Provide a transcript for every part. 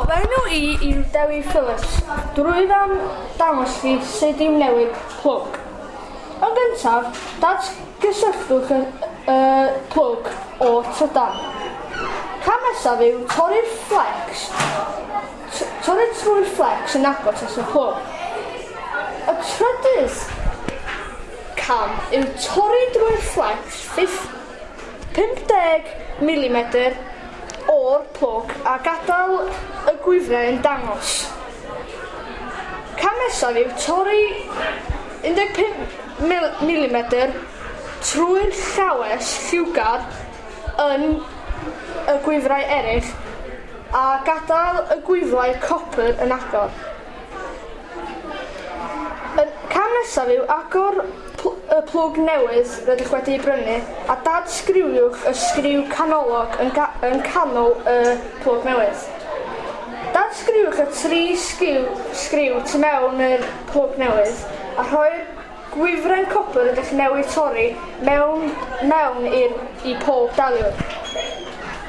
Helo, fy enw i yw Dewi Phillips. Rwyf am dangos chi sut i'w newid plwg. Yn gyntaf, datgysylltwch y plwg o'r trydan. Cam nesaf yw torri'r fflecs, torri trwy'r fflecs yn agos at y plwg. Y trydydd cam yw torri drwy'r fflecs 50 mm o'r plwg a gadael y gwifrau yn dangos. Cam nesaf yw torri 15 mm trwy'r llawes lliwgar yn y gwifrau eraill a gadael y gwifrau copr yn agor. Y cam nesaf yw agor y plwg newydd rydych wedi ei brynu a dadsgriwiwch y sgriw canolog yn canol y plwg newydd. Dadsgriwch y tri sgriw tu mewn i'r plwg newydd a rhoi'r gwifren copr rydych newydd torri mewn i pob daliwr.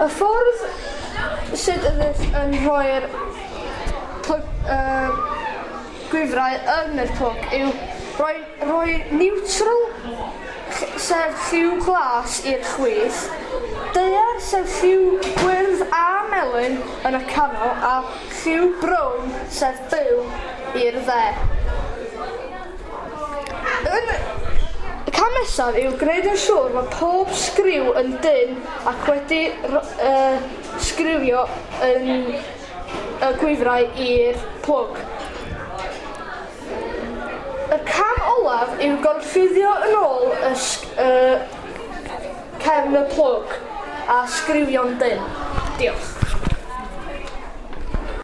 Y ffordd sut ydych yn rhoi'r gwifrau yn yr plwg yw rhoi neutral, sef lliw glas i'r chwith, daear sef lliw gwyrdd a melyn yn y canol a lliw brown sef byw i'r dde. Y cam nesaf yw gwneud yn siŵr bod pob sgriw yn dynn ac wedi sgriwio yn y gwifrau i'r plwg. Y cam olaf yw gorchuddio yn ôl y cefn y plwg a sgriwio'n dynn. Diolch.